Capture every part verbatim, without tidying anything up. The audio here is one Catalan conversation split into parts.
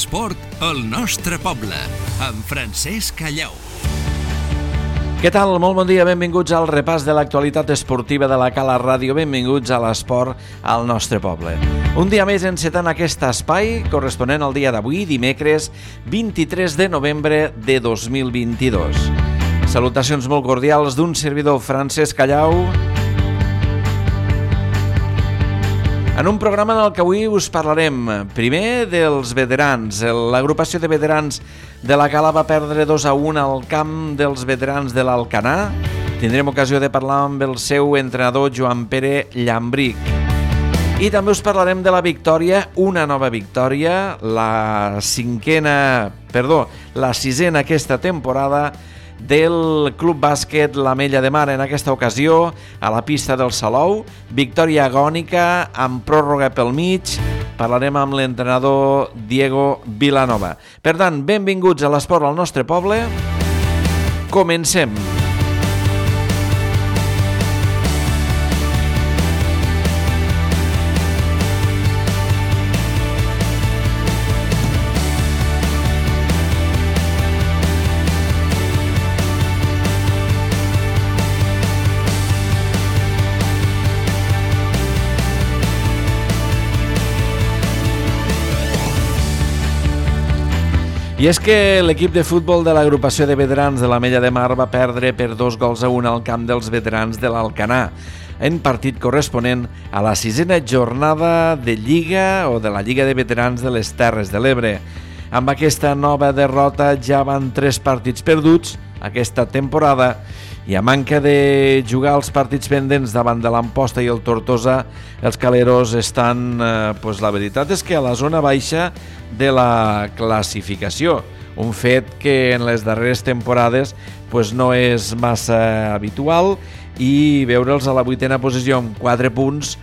l'esport al nostre poble, amb Francesc Callau. Què tal? Molt bon dia, benvinguts al repàs de l'actualitat esportiva de la Cala Ràdio, benvinguts a l'esport al nostre poble. Un dia més encetant aquest espai corresponent al dia d'avui, dimecres vint-i-tres de novembre de dos mil vint-i-dos. Salutacions molt cordials d'un servidor, Francesc Callau, en un programa en el que avui us parlarem primer dels veterans. L'agrupació de veterans de la Cala va perdre dos a un al camp dels veterans de l'Alcanar. Tindrem ocasió de parlar amb el seu entrenador, Joan Pere Llambric. I també us parlarem de la victòria, una nova victòria, la cinquena, perdó, la sisena aquesta temporada del Club Bàsquet l'Ametlla de Mar, en aquesta ocasió a la pista del Salou, victòria agònica amb pròrroga pel mig. Parlarem amb l'entrenador Diego Vilanova. Per tant, benvinguts a l'esport al nostre poble. Comencem. I és que l'equip de futbol de l'agrupació de veterans de l'Ametlla de Mar va perdre per dos gols a un al camp dels veterans de l'Alcanar, en partit corresponent a la sisena jornada de Lliga o de la Lliga de Veterans de les Terres de l'Ebre. Amb aquesta nova derrota ja van tres partits perduts aquesta temporada i a manca de jugar els partits pendents davant de l'Amposta i el Tortosa, els caleros estan, eh, pues la veritat és que a la zona baixa de la classificació, un fet que en les darreres temporades pues no és massa habitual, i veure'ls a la vuitena posició amb quatre punts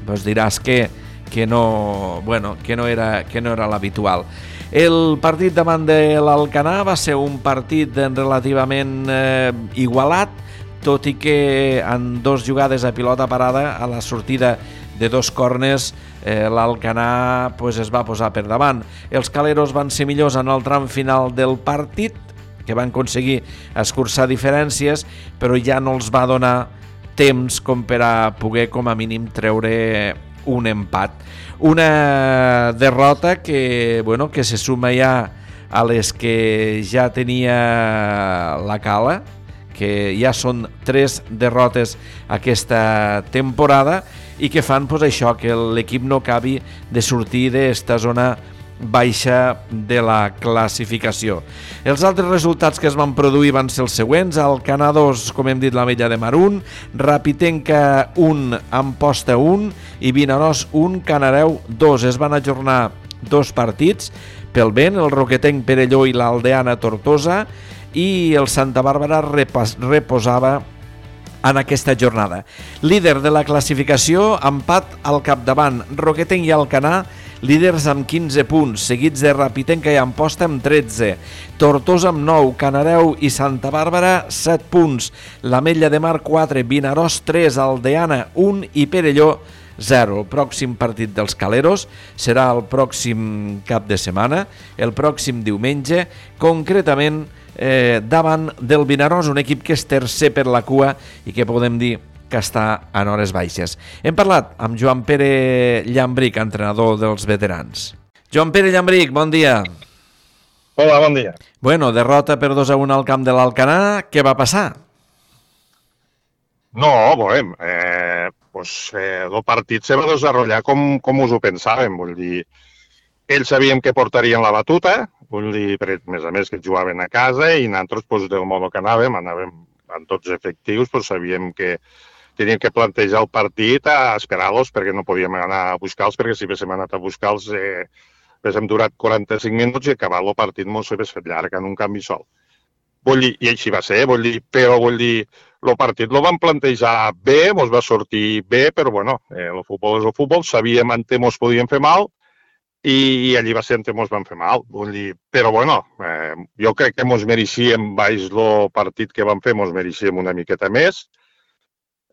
pues diràs que, que, no, bueno, que no era, que no era l'habitual. El partit davant de l'Alcanar va ser un partit relativament eh, igualat, tot i que en dos jugades a pilota parada, a la sortida de dos corners, eh, l'Alcanar pues, es va posar per davant. Els caleros van ser millors en el tram final del partit, que van aconseguir escurçar diferències, però ja no els va donar temps com per a poder com a mínim treure un empat. Una derrota que, bueno, que se suma ja a les que ja tenia la Cala, que ja són tres derrotes aquesta temporada i que fan pues, això, que l'equip no acabi de sortir d'esta zona baixa de la classificació. Els altres resultats que es van produir van ser els següents: Alcanar dos, com hem dit, l'Ametlla de Mar un, Rapitenca un, Amposta un i Vinaròs un, Canareu dos. Es van ajornar dos partits pel vent, el Roquetenc Perelló i l'Aldeana Tortosa, i el Santa Bàrbara repas, reposava en aquesta jornada. Líder de la classificació, empat al capdavant, Roquetenc i Alcanar, líders amb quinze punts, seguits de Rapitenca i Amposta amb tretze, Tortosa amb nou, Canareu i Santa Bàrbara set punts, l'Ametlla de Mar quatre, Vinaròs tres, Aldeana un i Perelló zero. El pròxim partit dels caleros serà el pròxim cap de setmana, el pròxim diumenge, concretament eh, davant del Vinaròs, un equip que és tercer per la cua i que podem dir que està en hores baixes. Hem parlat amb Joan Pere Llambric, entrenador dels veterans. Joan Pere Llambric, bon dia. Hola, bon dia. Bueno, derrota per dos a un al camp de l'Alcanar. Què va passar? No, veurem. Eh, pues, eh, el partit se va desenvolupar com, com us ho pensàvem. Vull dir, ells sabíem que portarien la batuta, vull dir, per, més a més que jugaven a casa, i nosaltres, pues, del modo que anàvem, anàvem amb tots efectius, pues, sabíem que teníem que plantejar el partit a esperar-los, perquè no podíem anar a buscar-los, perquè si haguéssim anat a buscar-los eh, haguéssim durat quaranta-cinc minuts i acabar el partit mos s'hagués fet llarg en un canvi sol. Vull dir, i així va ser, vull dir, però vull dir, el partit el vam plantejar bé, mos va sortir bé, però bueno, eh, el futbol és el futbol, sabíem en què mos podíem fer mal, i, i allí va ser en què mos van fer mal. Vull dir, però bueno, eh, jo crec que mos mereixíem, baix el partit que vam fer, mos mereixíem una miqueta més.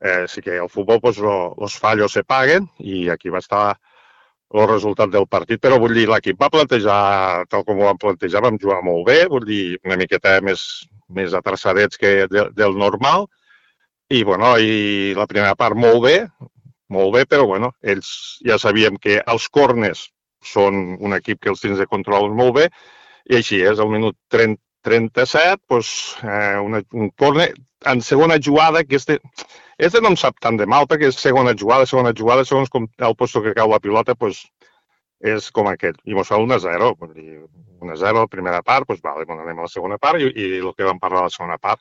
Eh, sí que el futbol, pues, lo, los fallos se paguen, i aquí va estar el resultat del partit, però vull dir, l'equip va plantejar, tal com ho vam plantejar, vam jugar molt bé, vull dir, una miqueta més, més atrasadets que de, del normal, i, bueno, i la primera part molt bé, molt bé, però, bueno, ells ja sabíem que els corners són un equip que els tens de controlar molt bé, i així és, al minut trenta, trenta-set, doncs, eh, una, un corner en segona jugada, que este, este no em sap tant de mal, perquè és segona jugada, segona jugada, segons com el posto que cau la pilota, doncs, és com aquest. I mos fa un a zero, vull dir, un a zero a la primera part, doncs, vale, bueno, anem a la segona part, i, i el que vam parlar a la segona part,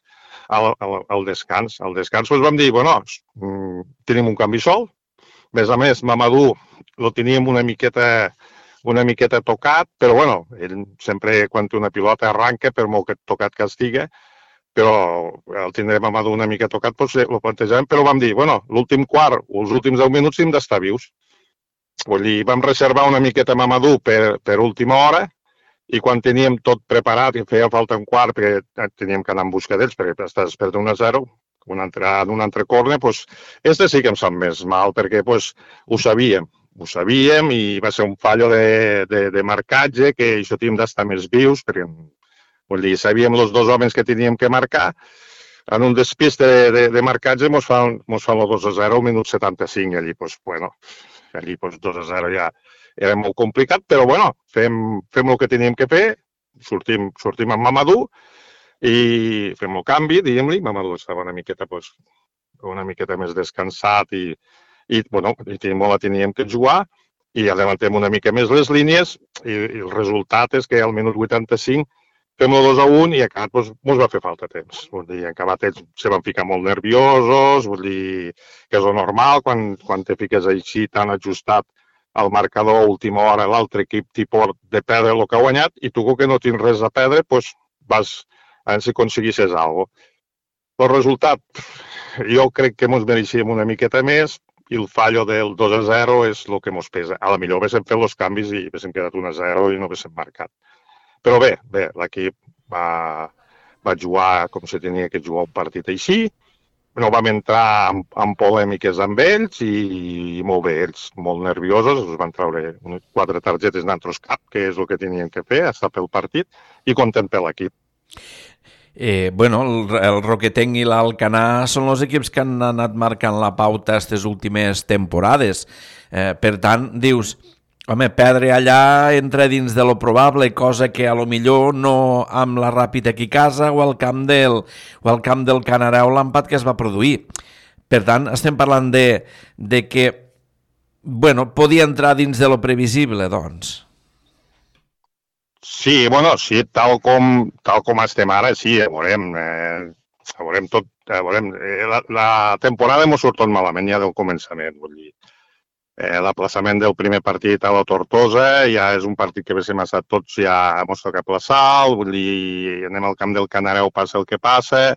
al, al, al descans. Al descans, doncs, vam dir, bueno, tenim un canvi sol, a més a més, Mamadou lo teníem una miqueta una miqueta tocat, però bueno, ell sempre quan té una pilota arranca, per molt que tocat que estiga, però el tindrem Mamadou una mica tocat, doncs ho plantejàvem, però vam dir, bueno, l'últim quart o els últims deu minuts hem d'estar vius. Vull dir, vam reservar una miqueta Mamadou per, per última hora, i quan teníem tot preparat i feia falta un quart, perquè teníem que anar en busca d'ells, perquè estàs perdent un a zero, un altre, en un altre corner, doncs, este sí que em sap més mal, perquè doncs, ho sabíem. Ho sabíem i va ser un fallo de, de, de marcatge, que això teníem d'estar més vius, perquè vull dir, sabíem els dos homes que teníem que marcar. En un despiste de, de, de marcatge mos fan, mos fan el dos a zero al minut setanta-cinc, i allí, doncs, bueno, allí, doncs, dos a zero ja era molt complicat, però, bueno, fem, fem el que teníem que fer, sortim, sortim amb Mamadou i fem el canvi, diguem-li. Mamadou estava una miqueta, doncs, una miqueta més descansat i i, bueno, i la teníem que jugar i adellantem una mica més les línies i, i el resultat és que al minut vuitanta-cinc fem el dos a un i acabat doncs, ens va fer falta temps. Vull dir, acabat ells se van ficar molt nerviosos, vull dir que és el normal quan, quan te fiques així tan ajustat al marcador a última hora, l'altre equip t'hi pot de perdre el que ha guanyat i tu que no tens res a perdre, doncs vas a veure si aconseguissis alguna cosa. El resultat, jo crec que ens mereixíem una miqueta més, i el fallo del dos a zero és el que ens pesa. A la millor haguéssim fet els canvis i haguéssim quedat un a zero i no haguéssim marcat. Però bé, bé, l'equip va, va jugar com se tenia que jugar un partit així, no vam entrar en, en polèmiques amb ells i, i molt bé, ells molt nerviosos, us van treure quatre targetes d'altres cap, que és el que tenien que fer, estar pel partit, i content per l'equip. Eh, bueno, el, el Roquetenc i l'Alcanar són els equips que han anat marcant la pauta aquestes últimes temporades. Eh, per tant, dius, home, perdre allà entra dins de lo probable, cosa que a lo millor no amb la Ràpid aquí a casa o al camp del, o al camp del Canareu l'empat que es va produir. Per tant, estem parlant de, de que, bueno, podia entrar dins de lo previsible, doncs. Sí, bueno, sí, tal com, tal com estem ara, sí, ja veurem, eh, ja veurem tot, ja veurem. Eh, la, la temporada m'ho surt tot malament ja del començament, vull dir. Eh, L'aplaçament del primer partit a la Tortosa ja és un partit que haguéssim estat tots ja mos toca aplaçar, vull dir, anem al camp del Canareu, passa el que passa,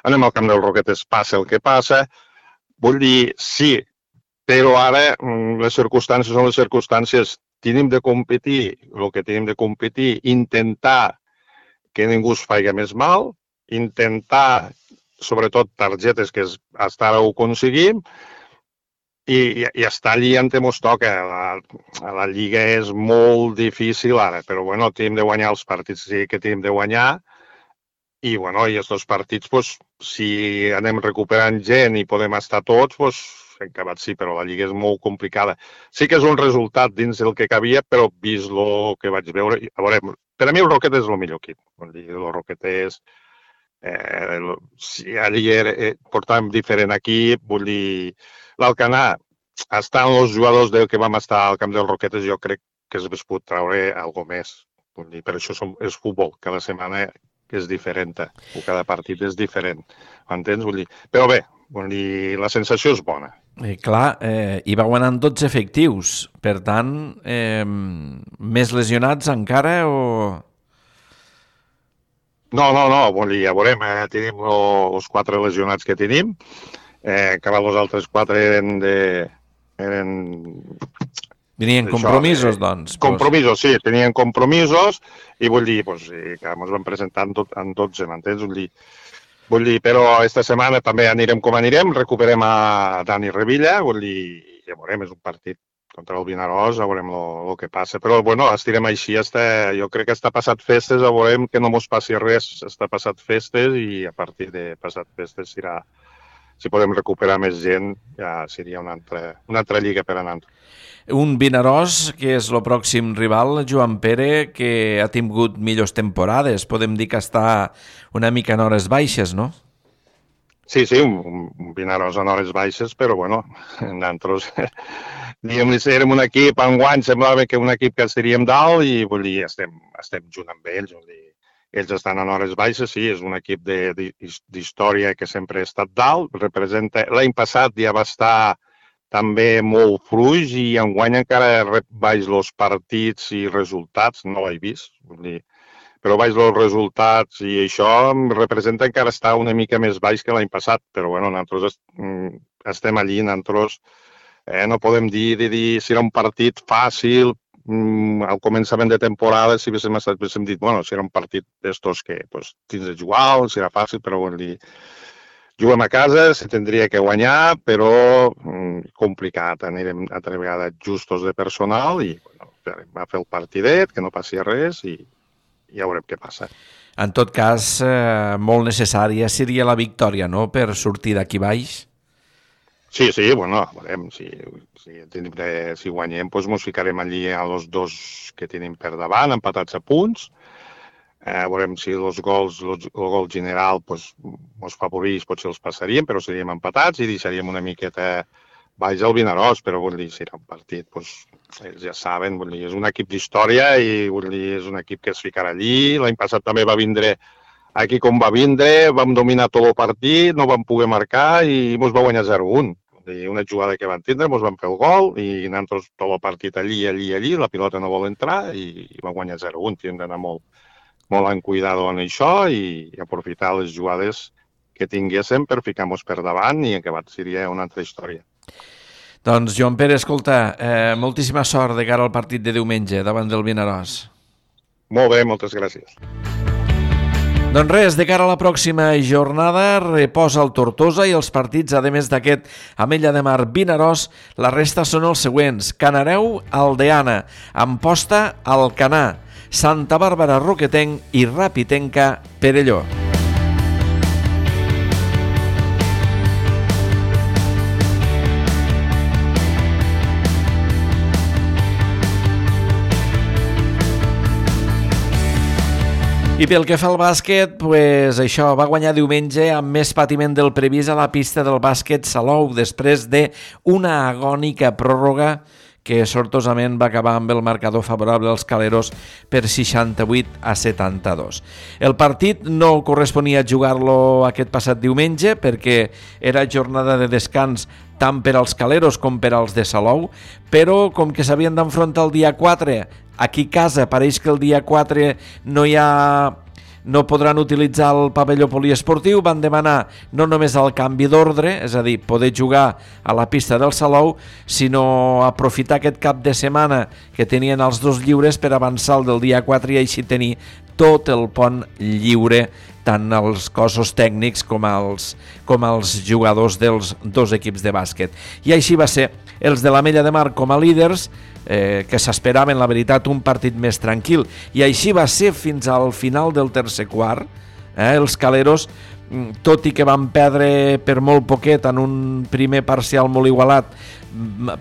anem al camp del Roquetes, passa el que passa, vull dir, sí, però ara les circumstàncies són les circumstàncies. Tenim de competir, el que tenim de competir, intentar que ningú es faci més mal, intentar, sobretot, targetes que hasta ara ho aconseguim, i, i, i estar allí on ens toca. La, la Lliga és molt difícil ara, però bueno, tenim de guanyar els partits sí que tenim de guanyar, i bueno, i aquests partits, pues, si anem recuperant gent i podem estar tots, pues, en acabat sí, però la Lliga és molt complicada. Sí que és un resultat dins del que cabia, però vist el que vaig veure... A veure, per a mi el Roquetes és el millor equip. Vull dir, el Roquetes... Eh, el, si allí era, eh, portàvem diferent equip, vull dir... L'Alcanar, estant els jugadors del que vam estar al camp del Roquetes, jo crec que es pot treure alguna més. Vull dir, per això som, és futbol. Cada setmana és diferent. O cada partit és diferent. Entens? Vull dir... Però bé, vull dir, la sensació és bona. Eh, clar, eh, hi va guanyant tots efectius, per tant, eh, més lesionats encara o...? No, no, no, vull dir, ja veurem, eh, tenim els quatre lesionats que tenim, eh, que els altres quatre eren de... Eren... Tenien compromisos, això, eh, doncs. Compromisos, sí, tenien compromisos, i vull dir, pues, que ens van presentar en, tot, en tots, m'entens? Vull dir, Vull dir, però aquesta setmana també anirem com anirem, recuperem a Dani Revilla, vull dir, ja veurem, és un partit contra el Vinaròs, ja veurem el que passa. Però, bueno, estirem així, està, jo crec que està passat festes, ja veurem que no mos passi res, està passat festes i a partir de passat festes serà, si podem recuperar més gent, ja seria una altra, una altra lliga per a nosaltres. Un Vinaròs, que és el pròxim rival, Joan Pere, que ha tingut millors temporades. Podem dir que està una mica en hores baixes, no? Sí, sí, un, un Vinaròs en hores baixes, però bueno, nosaltres, diguem-li, érem un equip, enguany semblava que un equip que estaríem dalt i vull dir, estem, estem junt amb ells, vull dir, ells estan en hores baixes, sí, és un equip d'història que sempre ha estat dalt, representa, l'any passat ja va estar també molt fluix i enguany encara baix els partits i resultats, no l'he vist, vull dir, però baix els resultats i això representa encara estar una mica més baix que l'any passat, però bueno, nosaltres estem allí, nosaltres eh, no podem dir, de dir si era un partit fàcil, al començament de temporada si haguéssim estat, haguéssim dit, bueno, si era un partit d'estos que pues, tens de jugar, si era fàcil, però vull dir, juguem a casa, se tindria que guanyar, però mm, complicat. Anirem altra vegada justos de personal i bueno, va fer el partidet, que no passi res i, i ja veurem què passa. En tot cas, eh, molt necessària seria la victòria, no?, per sortir d'aquí baix. Sí, sí, bueno, veurem. Si, si, si guanyem, doncs ens ficarem allí a els dos que tenim per davant, empatats a punts. Eh, veurem si els gols, los, el gol general pues, ens favorís, potser els passaríem, però seríem empatats i deixaríem una miqueta baix al Vinaròs, però vull dir, serà un partit, pues, ells ja saben, vull dir, és un equip d'història i vull dir, és un equip que es ficarà allí. L'any passat també va vindre aquí com va vindre, vam dominar tot el partit, no vam poder marcar i ens va guanyar zero a un. Una jugada que van tindre, ens van fer el gol i nosaltres tot el partit allí, allí, allí, la pilota no vol entrar i va guanyar zero a un. Hem d'anar molt molt en cuidado en això i aprofitar les jugades que tinguéssim per ficar-nos per davant i acabat seria una altra història. Doncs, Joan Pere, escolta, eh, moltíssima sort de cara al partit de diumenge davant del Vinaròs. Molt bé, moltes gràcies. Doncs res, de cara a la pròxima jornada reposa el Tortosa i els partits, a més d'aquest Ametlla de Mar Vinaròs, la resta són els següents: Canareu, Aldeana, Amposta, Alcanar, Santa Bàrbara, Roquetenc i Rapitenca, Perelló. I pel que fa al bàsquet, pues això, va guanyar diumenge amb més patiment del previst a la pista del bàsquet Salou, després d'una agònica pròrroga que sortosament va acabar amb el marcador favorable als caleros per seixanta-vuit a setanta-dos. El partit no corresponia jugar-lo aquest passat diumenge perquè era jornada de descans tant per als caleros com per als de Salou, però com que s'havien d'enfrontar el dia quatre, aquí a casa pareix que el dia quatre no hi ha... no podran utilitzar el pavelló poliesportiu, van demanar no només el canvi d'ordre, és a dir, poder jugar a la pista del Salou, sinó aprofitar aquest cap de setmana que tenien els dos lliures per avançar el del dia quatre i així tenir tot el pont lliure, tant els cossos tècnics com els, com els jugadors dels dos equips de bàsquet. I així va ser. Els de l'Ametlla de Mar com a líders, eh, que s'esperaven, la veritat, un partit més tranquil. I així va ser fins al final del tercer quart. Eh, els caleros, tot i que van perdre per molt poquet en un primer parcial molt igualat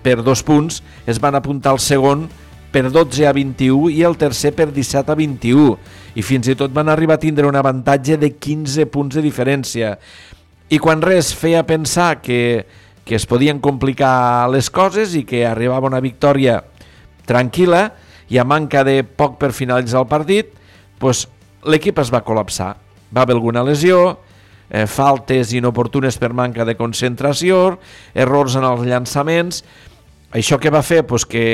per dos punts, es van apuntar al segon per dotze a vint-i-u i el tercer per disset a vint-i-u. I fins i tot van arribar a tindre un avantatge de quinze punts de diferència. I quan res feia pensar que, que es podien complicar les coses i que arribava una victòria tranquil·la i a manca de poc per finalitzar el partit, doncs l'equip es va col·lapsar. Va haver alguna lesió, eh, faltes inoportunes per manca de concentració, errors en els llançaments. Això què va fer? Doncs que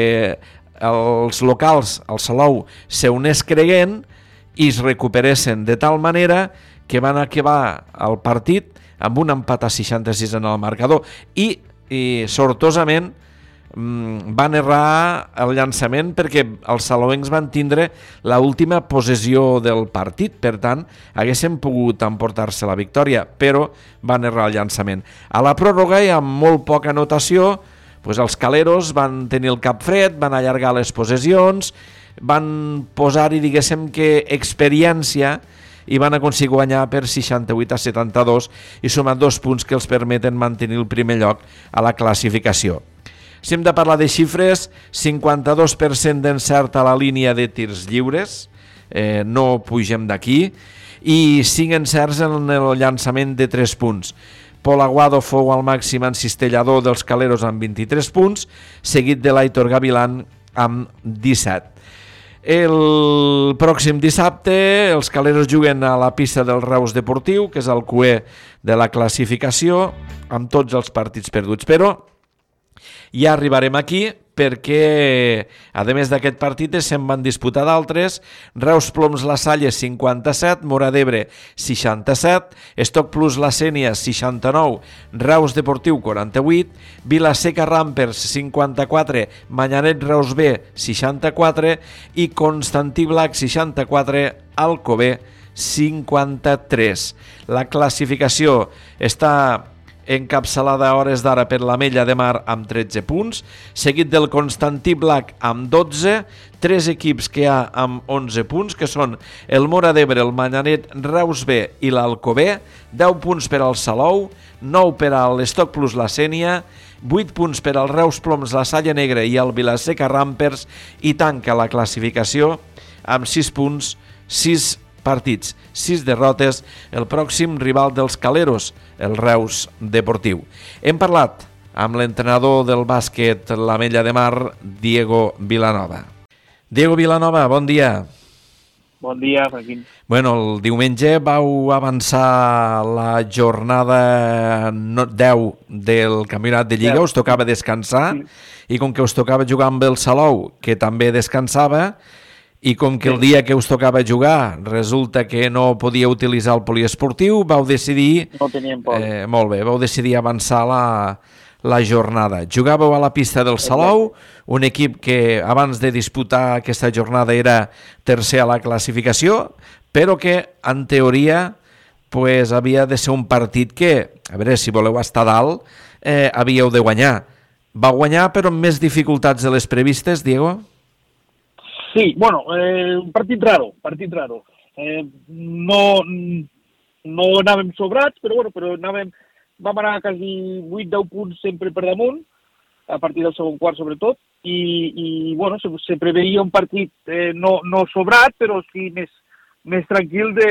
els locals, el Salou, se unés creient i es recuperessin de tal manera que van acabar el partit amb un empat a seixanta-sis en el marcador i, i sortosament van errar el llançament perquè els salouencs van tindre l'última possessió del partit, per tant haguessin pogut emportar-se la victòria, però van errar el llançament. A la pròrroga i amb molt poca anotació, pues els caleros van tenir el cap fred, van allargar les possessions, van posar-hi, diguéssim, que experiència i van aconseguir guanyar per seixanta-vuit a setanta-dos i sumar dos punts que els permeten mantenir el primer lloc a la classificació. Si hem de parlar de xifres, cinquanta-dos per cent d'encert a la línia de tirs lliures, eh, no pugem d'aquí, i cinc encerts en el llançament de tres punts. Pol Aguado fou al màxim encistellador dels caleros amb vint-i-tres punts, seguit de l'Aitor Gavilán amb disset. El pròxim dissabte els caleros juguen a la pista del Reus Deportiu, que és el Q E de la classificació, amb tots els partits perduts. Però ja arribarem aquí perquè, a més d'aquest partit, se'n van disputar d'altres. Reus Ploms La Salle cinquanta-set, Móra d'Ebre seixanta-set, Estoc Plus La Sénia seixanta-nou, Reus Deportiu quaranta-vuit, Vilaseca Rampers cinquanta-quatre, Manyanet Reus B seixanta-quatre i Constantí Blac seixanta-quatre, Alcover cinquanta-tres. La classificació està encapçalada a hores d'ara per l'Ametlla de Mar amb tretze punts, seguit del Constantí Blac amb dotze, tres equips que hi ha amb onze punts, que són el Móra d'Ebre, el Manyanet Reus B i l'Alcover, deu punts per al Salou, nou per a l'Estoc Plus La Sénia, vuit punts per al Reus Ploms La Salle Negra i el Vilaseca Rampers, i tanca la classificació amb sis punts, sis partits, sis derrotes, el pròxim rival dels caleros, el Reus Deportiu. Hem parlat amb l'entrenador del bàsquet l'Ametlla de Mar, Diego Vilanova. Diego Vilanova, bon dia. Bon dia, Joaquín. Bueno, el diumenge vau avançar la jornada deu del Campionat de Lliga, us tocava descansar, i com que us tocava jugar amb el Salou, que també descansava, i com que el dia que us tocava jugar resulta que no podia utilitzar el poliesportiu, vau decidir... No teníem por. Eh, molt bé, vau decidir avançar la, la jornada. Jugàveu a la pista del Salou, un equip que abans de disputar aquesta jornada era tercer a la classificació, però que, en teoria, pues, havia de ser un partit que, a veure, si voleu estar dalt, eh, havíeu de guanyar. Va guanyar, però amb més dificultats de les previstes, Diego? Sí, bueno, eh, un partit raro, partit raro. Eh, no, no anàvem sobrats, però, bueno, però anàvem, vam anar quasi vuit deu punts sempre per damunt, a partir del segon quart sobretot, i, i bueno, se, se preveia un partit eh, no, no sobrat, però sí més, més tranquil de,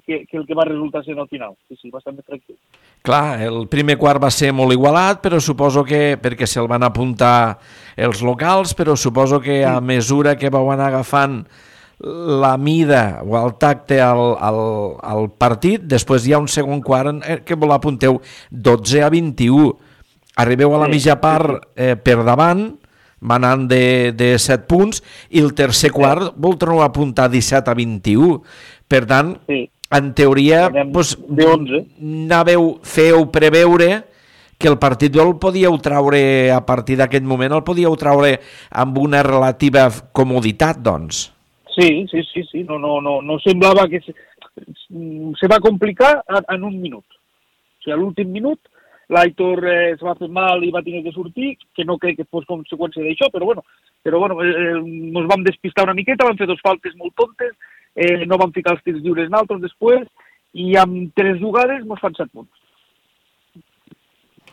que, que el que va resultar sent al final. Sí, sí, bastant més tranquil. Clar, el primer quart va ser molt igualat, però suposo que, perquè se'l van apuntar els locals, però suposo que a mesura que vau anar agafant la mida o el tacte al, al, al partit, després hi ha un segon quart que vos l'apunteu dotze a vint-i-u. Arribeu a la mitja part eh, per davant, manant de, de set punts, i el tercer quart vol tornar a apuntar disset a vint-i-u. Per tant, sí. En teoria, doncs, anàveu, feu preveure que el partit el podíeu traure, a partir d'aquest moment, el podíeu traure amb una relativa comoditat, doncs. Sí, sí, sí, sí. No, no, no, no semblava que se, se va complicar en un minut. O sigui, a l'últim minut, l'Aitor eh, es va fer mal i va tenir que sortir, que no crec que fos conseqüència d'això, però bueno, però bueno eh, ens vam despistar una miqueta, vam fer dos faltes molt tontes, eh, no vam ficar els tirs lliures naltros després, i amb tres jugades ens fan set punts.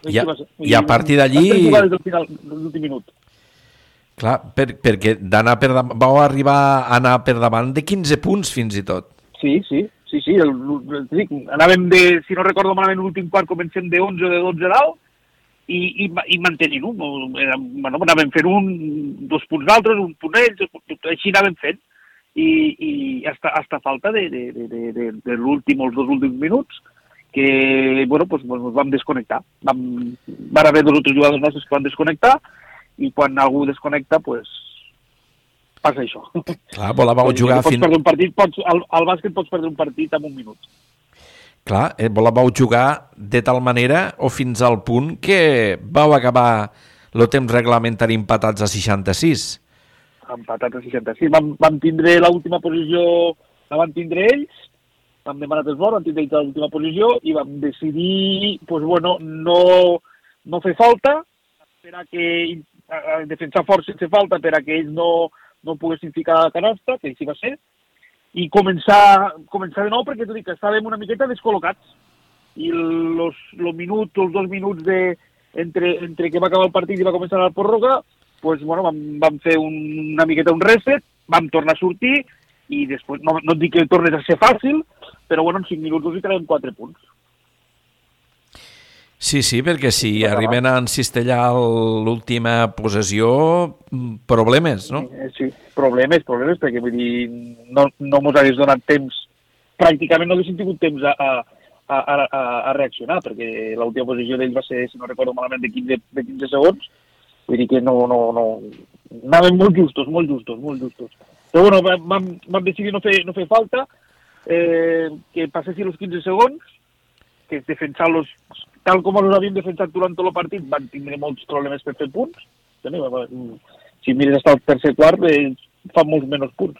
I a, i a partir d'allí... Tres jugades del final, de l'últim minut. Clar, per, perquè d'anar per davant, vau arribar a anar per davant de quinze punts fins i tot. Sí, sí, sí, sí, el, el, sí anàvem de, si no recordo malament, l'últim quart comencem de onze o de dotze dalt, i, i, i mantenint-ho. Bueno, anàvem fent un, dos punts d'altres, un punt ells, així anàvem fent. I, i hasta, hasta falta de, de, de, de, de l'últim, els dos últims minuts, que, bueno, pues, pues ens vam desconnectar. Vam, van haver dos o tres jugadors nostres que van desconnectar, i quan algú desconnecta, pues, passa això. Clar, volàveu jugar... Pots fin... perdre un partit, pots, al, al bàsquet pots perdre un partit en un minut. Clar, eh, volàveu jugar de tal manera o fins al punt que vau acabar el temps reglamentari empatats a seixanta-sis. Empatats a seixanta-sis. Vam, vam tindre l'última posició, la van tindre ells, vam demanar esbor, vam tindre ells l'última posició i vam decidir, pues, bueno, no, no fer falta per a que a defensar fort sense falta per a que ells no, no poguessin ficar la canasta, que així va ser, i començar, començar de nou perquè t'ho dic que estàvem una miqueta descol·locats i los, los minuts, els dos minuts de, entre, entre que va acabar el partit i va començar la pròrroga, pues, bueno, vam, vam fer un, una miqueta un reset, vam tornar a sortir i després, no, no et dic que tornes a ser fàcil, però bueno, en cinc minuts us hi traiem quatre punts. Sí, sí, perquè si arriben a encistellar l'última possessió, problemes, no? Sí, problemes, problemes, perquè vull dir, no, no mos hagués donat temps, pràcticament no haguéssim tingut temps a, a, a, a, a reaccionar, perquè l'última possessió d'ells va ser, si no recordo malament, de quinze, de quinze segons, vull dir que no, no, no, anaven molt justos, molt justos, molt justos. Però bueno, vam, vam decidir no fer, no fer falta, eh, que passessin els quinze segons, que defensar-los tal com els havíem defensat durant tot el partit, van tindre molts problemes per fer punts. Si mires hasta el tercer quart, eh, fan molts menys punts.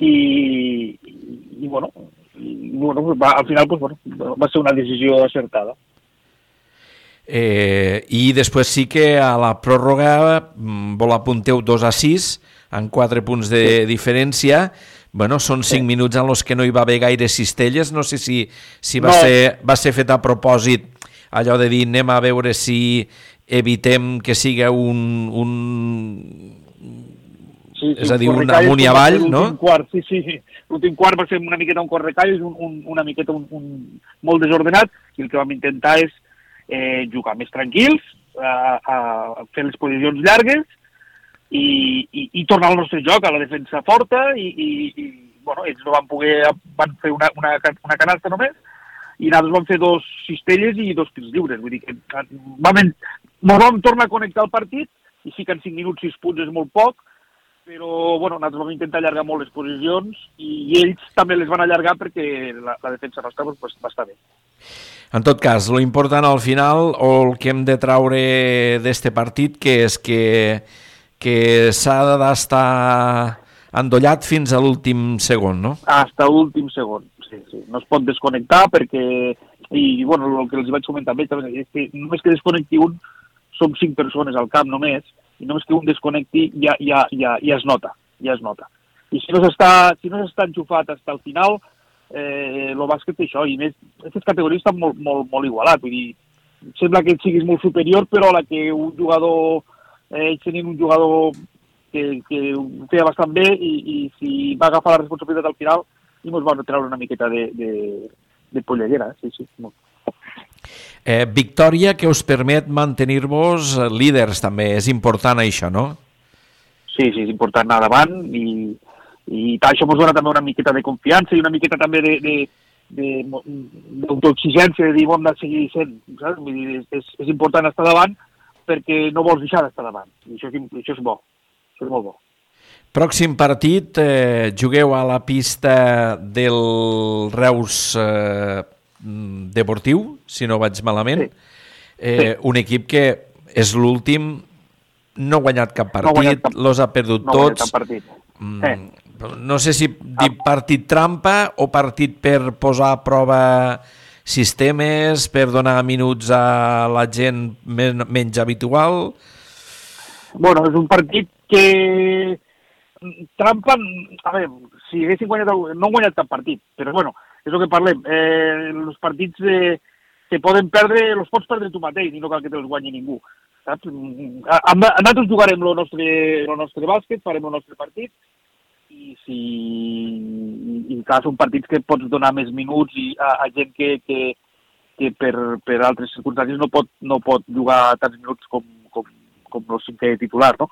I, i, i bueno, i, bueno va, al final pues, bueno, va ser una decisió acertada. Eh, I després sí que a la pròrroga vol apunteu dos a sis, amb quatre punts de sí. diferència. Bueno, són cinc sí. minuts en els que no hi va haver gaire cistelles. No sé si, si va, no. ser, va ser fet a propòsit allò de dir anem a veure si evitem que siga un... un... Sí, sí, és a dir, un amunt i avall, no? Quart, sí, sí, sí. L'últim quart va ser una miqueta un correcalles, un, un, una miqueta un, un, molt desordenat, i el que vam intentar és eh, jugar més tranquils, a, a fer les posicions llargues, I, i, i tornar al nostre joc, a la defensa forta, i, i, i bueno, ells no van poder, van fer una, una, una canasta només, i nosaltres vam fer dos cistelles i dos tirs lliures, vull dir que vam, ens vam tornar a connectar el partit, i sí que en cinc minuts sis punts és molt poc, però bueno, nosaltres vam intentar allargar molt les posicions, i ells també les van allargar perquè la, la defensa nostra pues, va estar bé. En tot cas, lo important al final, o el que hem de traure d'este partit, que és que que s'ha d'estar endollat fins a l'últim segon, no? Hasta l'últim segon, sí, sí. No es pot desconnectar perquè, i bueno, el que els vaig comentar amb ells, és que només que desconnecti un, som cinc persones al camp només, i només que un desconnecti ja, ja, ja, ja es nota, ja es nota. I si no s'està si no s'està enxufat fins al final, eh, el bàsquet té això, i més, aquestes categories estan molt, molt, molt igualat, vull dir, sembla que siguis molt superior, però a la que un jugador... ells tenien un jugador que, que ho feia bastant bé i, i si va agafar la responsabilitat al final i ens va treure una miqueta de, de, de polleguera, sí, sí. Molt. Eh, victòria que us permet mantenir-vos líders també, és important això, no? Sí, sí, és important anar davant i, i això ens dona també una miqueta de confiança i una miqueta també de, de, de, d'autoexigència, de dir, bon, de seguir sent, saps? Vull dir, és, és important estar davant perquè no vols deixar d'estar davant. I això, això és bo, això és molt bo. Pròxim partit, eh, jugueu a la pista del Reus eh, Deportiu, si no vaig malament. Sí. Eh, sí. Un equip que és l'últim, no ha guanyat cap partit, no guanyat cap, los ha perdut no tots. Cap partit. Mm, sí. No sé si dir partit trampa o partit per posar a prova sistemes, per donar minuts a la gent men menys habitual? Bueno, és un partit que trampa, a veure, si haguessin guanyat, no han guanyat cap partit, però bueno, és el que parlem, eh, els partits eh, que poden perdre, els pots perdre tu mateix i no cal que te'ls guanyi ningú, saps? Nosaltres jugarem el nostre, el nostre bàsquet, farem el nostre partit, i si i clar, són partits que pots donar més minuts i a, a gent que, que, que per, per altres circumstàncies no pot, no pot jugar tants minuts com, com, com el cinquè titular, no?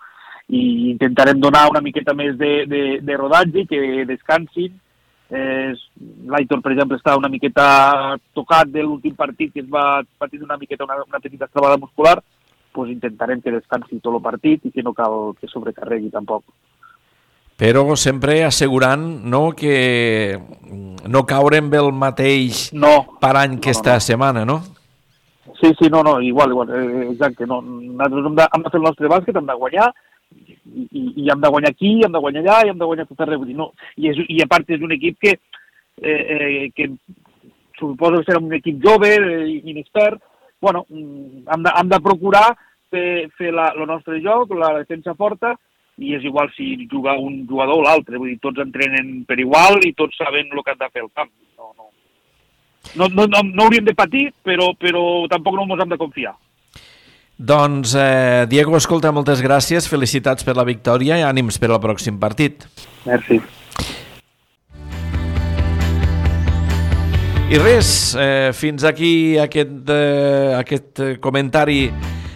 I intentarem donar una miqueta més de, de, de rodatge, que descansin. Eh, L'Aitor, per exemple, està una miqueta tocat de l'últim partit, que es va patir una miqueta una, una petita estrabada muscular, doncs intentarem que descansi tot el partit i que no cal que sobrecarregui tampoc. Però sempre assegurant, no, que no caure amb el mateix no, parany que no, esta no. setmana, no? Sí, sí, no, no, igual, igual, exacte. No, nosaltres hem de, hem de fer el nostre bàsquet, hem de guanyar, i, i, i hem de guanyar aquí, hem de guanyar allà, i hem de guanyar tot arreu. No, i, és, I a part és un equip que, eh, eh, que suposo que serà un equip jove, eh, inexpert. Bueno, hem de, hem de procurar fer, fer la, el nostre joc, la defensa forta, i és igual si juga un jugador o l'altre, vull dir, tots entrenen per igual i tots saben el que han de fer al camp. No, no. No, no, no, no hauríem de patir, però, però tampoc no ens hem de confiar. Doncs, eh, Diego, escolta, moltes gràcies, felicitats per la victòria i ànims per al pròxim partit. Merci. I res, eh, fins aquí aquest, eh, aquest comentari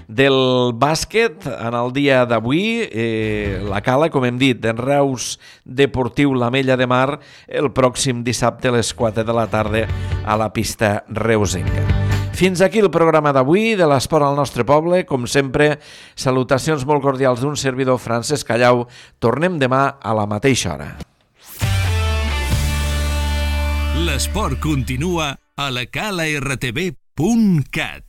del bàsquet en el dia d'avui. Eh, la Cala, com hem dit, en Reus Deportiu l'Ametlla de Mar el pròxim dissabte a les quatre de la tarda a la pista reusenca. Fins aquí el programa d'avui de l'Esport al nostre poble. Com sempre, salutacions molt cordials d'un servidor, Francesc Callau. Tornem demà a la mateixa hora. L'esport continua a la cala r t v punt cat.